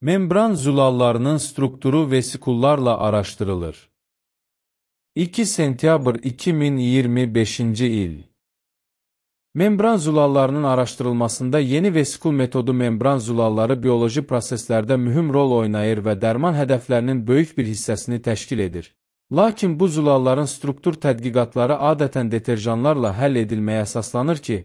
Membran zulallarının strukturu vesikullarla araşdırılır. 2 sentyabr 2025-ci il. Membran zulallarının araşdırılmasında yeni vesikul metodu membran zulalları bioloji proseslərdə mühüm rol oynayır və dərman hədəflərinin böyük bir hissəsini təşkil edir. Lakin bu zulalların struktur tədqiqatları adətən deterjanlarla həll edilməyə əsaslanır ki,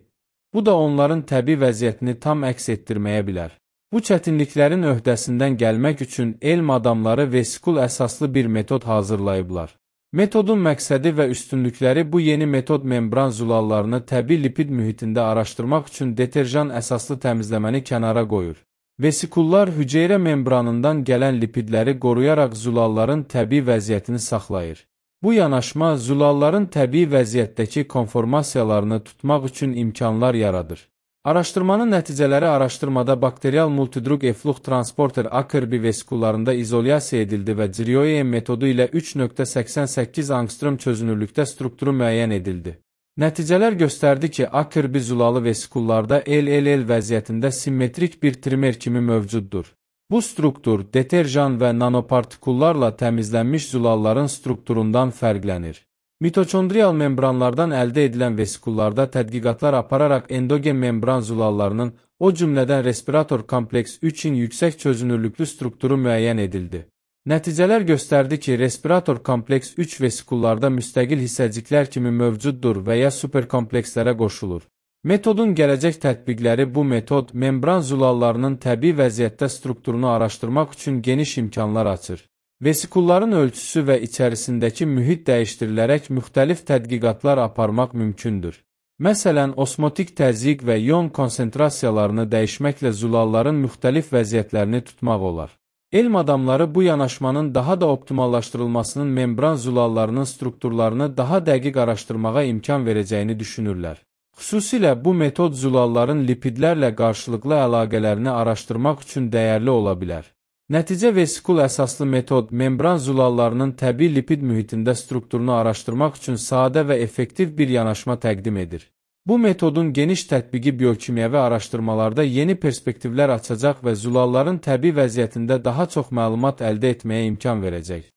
bu da onların təbii vəziyyətini tam əks etdirməyə bilər. Bu çətinliklərin öhdəsindən gəlmək üçün elm adamları vesikul əsaslı bir metod hazırlayıblar. Metodun məqsədi və üstünlükləri bu yeni metod membran zulallarını təbii lipid mühitində araşdırmaq üçün deterjan əsaslı təmizləməni kənara qoyur. Vesikullar hüceyrə membranından gələn lipidləri qoruyaraq zulalların təbii vəziyyətini saxlayır. Bu yanaşma zulalların təbii vəziyyətdəki konformasiyalarını tutmaq üçün imkanlar yaradır. Araşdırmanın nəticələri araşdırmada bakterial multidrug efflux transporter AKRB vesikullarında izolyasiya edildi və Crioen metodu ilə 3.88 angstrom çözünürlükdə strukturu müəyyən edildi. Nəticələr göstərdi ki, AKRB zulalı vesikullarda LLL vəziyyətində simmetrik bir trimer kimi mövcuddur. Bu struktur deterjan və nanopartikullarla təmizlənmiş zulalların strukturundan fərqlənir. Mitokondrial membranlardan əldə edilən vesikullarda tədqiqatlar apararaq endogen membran zulallarının, o cümlədən respirator kompleks 3-in yüksək çözünürlüklü strukturu müəyyən edildi. Nəticələr göstərdi ki, respirator kompleks 3 vesikullarda müstəqil hissəciklər kimi mövcuddur və ya superkomplekslərə qoşulur. Metodun gələcək tətbiqləri bu metod membran zulallarının təbii vəziyyətdə strukturunu araşdırmaq üçün geniş imkanlar açır. Vesikulların ölçüsü və içərisindəki mühit dəyişdirilərək müxtəlif tədqiqatlar aparmaq mümkündür. Məsələn, osmotik təzyiq və ion konsentrasiyalarını dəyişməklə zulalların müxtəlif vəziyyətlərini tutmaq olar. Elm adamları bu yanaşmanın daha da optimallaşdırılmasının membran zulallarının strukturlarını daha dəqiq araşdırmağa imkan verəcəyini düşünürlər. Xüsusilə bu metod zulalların lipidlərlə qarşılıqlı əlaqələrini araşdırmaq üçün dəyərli ola bilər. Nəticə vesikul əsaslı metod membran zulallarının təbii lipid mühitində strukturunu araşdırmaq üçün sadə və effektiv bir yanaşma təqdim edir. Bu metodun geniş tətbiqi biokimyəvi araşdırmalarda yeni perspektivlər açacaq və zulalların təbii vəziyyətində daha çox məlumat əldə etməyə imkan verəcək.